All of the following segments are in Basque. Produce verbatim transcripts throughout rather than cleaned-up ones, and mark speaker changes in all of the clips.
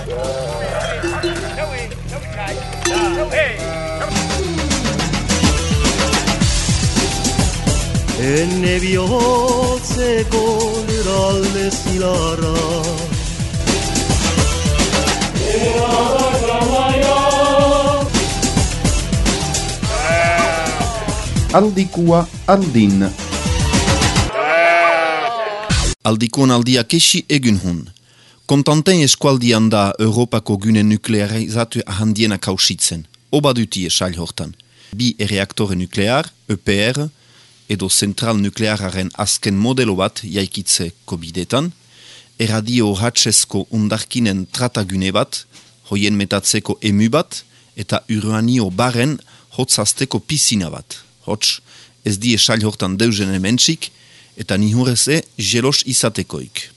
Speaker 1: Enne bihotzeko lurralde zilarra
Speaker 2: Aldikua aldin.
Speaker 3: Aldikuan aldia kesi egun hun. Kontanten eskualdian da Europako gune nuklearizatu handiena kausitzen. Oba dutie sail hortan. Bi reaktore nuklear, E P R, edo zentral nukleararen azken modelo bat jaikitzeko bidetan, erradio hatxezko undarkinen tratagune bat, hoien metatzeko emu bat, eta uranio baren hotzazteko pisina bat. Hots, ez die sail hortan deuzen hementsik, eta nihureze jelos izatekoik.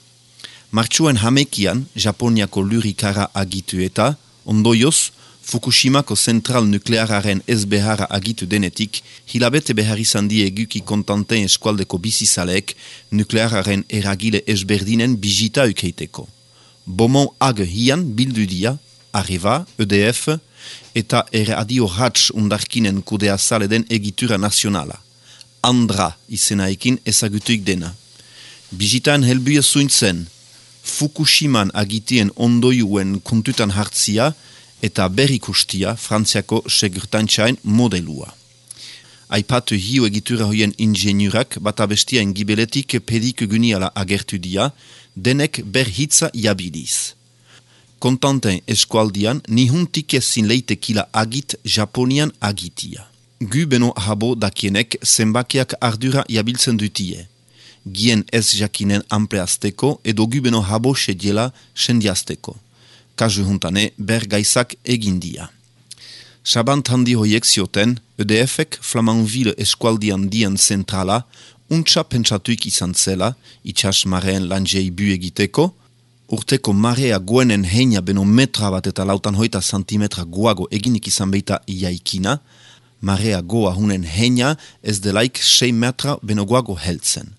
Speaker 3: Martxuan hamekian, Japoniako lurikara agitu eta, ondoioz, Fukushimako zentral nukleararen ez beharra agitu denetik, hilabete behar izan die eguki kontanten eskualdeko bizizaleek nukleararen eragile ezberdinen bizita ukeiteko. Bomon ag hian bildu dia, Areva, E D F, eta erradio hatx undarkinen kudea zale den egitura nazionala. Andra izenaekin ezagutuik dena. Bizitaan helbuia zuintzen, Fukushiman agitien ondoiuen kontutan hartzia eta berrikustia Frantziako segurtantzain modelua. Aipatu hiu egitura hoien ingeniurak bat abestiain gibeletik pedik guniala agertu dia, denek berhitza jabiliz. Kontanten eskualdian nihuntik ezin leitekila agit Japonian agitia. Gu beno habo dakienek zenbakiak ardura jabiltzen dutie. Gien ez jakinen ampleazteko edo gu beno habo sediela sendiazteko. Kasu juntane ber gaizak egindia. Sabant handi hoiek zioten, E D F-ek Flamanville eskualdian dien zentrala, untsa pentsatuik izan zela, itxas mareen lanjei bu egiteko, urteko marea goenen heina beno metra bat eta lautan hoita santimetra goago eginik izan beita iaikina, marea goa hunen heina ez delaik sei metra beno goago heltzen.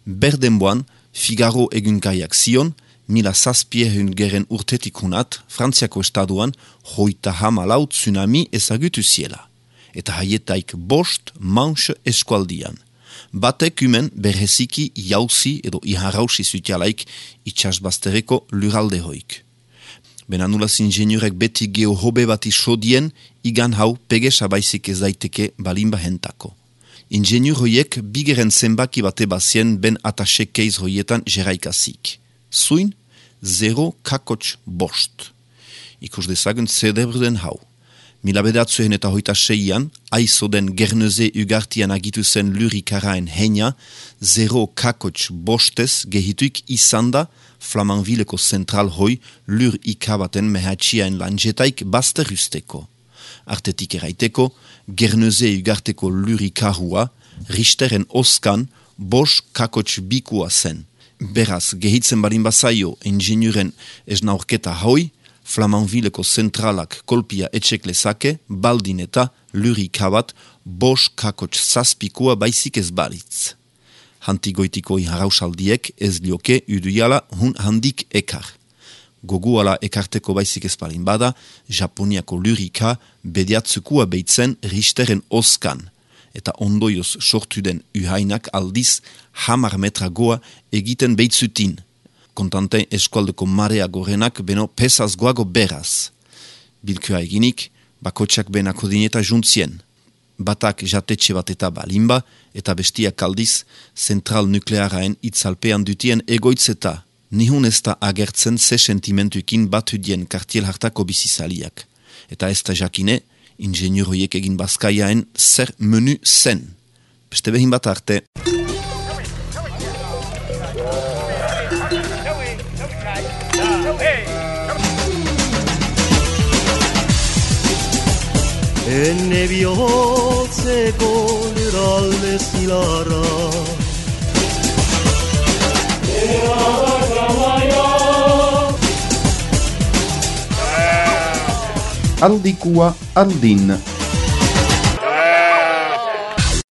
Speaker 3: Berdenboan, Figaro egunkaiak zion, mila zazpiehun geren urtetik hunat, Frantziako estaduan, hoita hamalau tsunami ezagutu ziela. Eta haietaik bost manche eskualdian. Batek umen berheziki jauzi edo iharausi zutialaik itxasbaztereko luralde hoik. Benanulaz ingeniurek beti geohobe bati sodien, igan hau pegesa baizik ez daiteke balimba hentako. Ingeniur hoiek bigeren zenbaki bate bazien ben ataxe keiz hoietan jeraikazik. Zuin, zero kakots bost. Ikus dezagun zedebruden hau. Mila bedatzuen eta hoita seian, aizo den Gerneze ugartian agitu zen lurikaraen heina, zero kakots bostez gehituik izanda Flamanvilleko zentral hoi lur ikabaten mehatxiaen lanjetaik bazterusteko. Artetik eraiteko, Gerneze ugarteko lurikarua, Richteren oskan, bos kakots bikua zen. Beraz, gehitzen barin bazaio ingeniuren esnaurketa hoi, Flamanvilleko zentralak kolpia etxek lezake, baldin eta lurikabat bos kakots zazpikua baizik ez balitz. Hantigoitiko iharausaldiek ez lioke uduiala hun handik ekar. Goguala ekarteko baizik ez balin bada, Japoniako lurika bediatzukua beitzen Richteren oskan, eta ondoioz sortu den uhainak aldiz hamar metra goa egiten beitzutin. Kontanten eskualdeko marea gorenak beno pesaz goago beraz. Bilkua eginik, bakotxak benako dineta juntzien. Batak jatetxe bat eta balimba, eta bestiak aldiz, zentral nuklearaen itzalpean dutien egoitzeta. Nihun ez da agertzen ze sentimentuekin batu dien kartiel hartako bizizaliak. Eta ez da jakine, ingeniur hoiek egin bazkaiaen zer menu zen. Beste behin bat arte.
Speaker 1: Enne bihotzeko lurralde zilarra
Speaker 2: Aldikua aldin.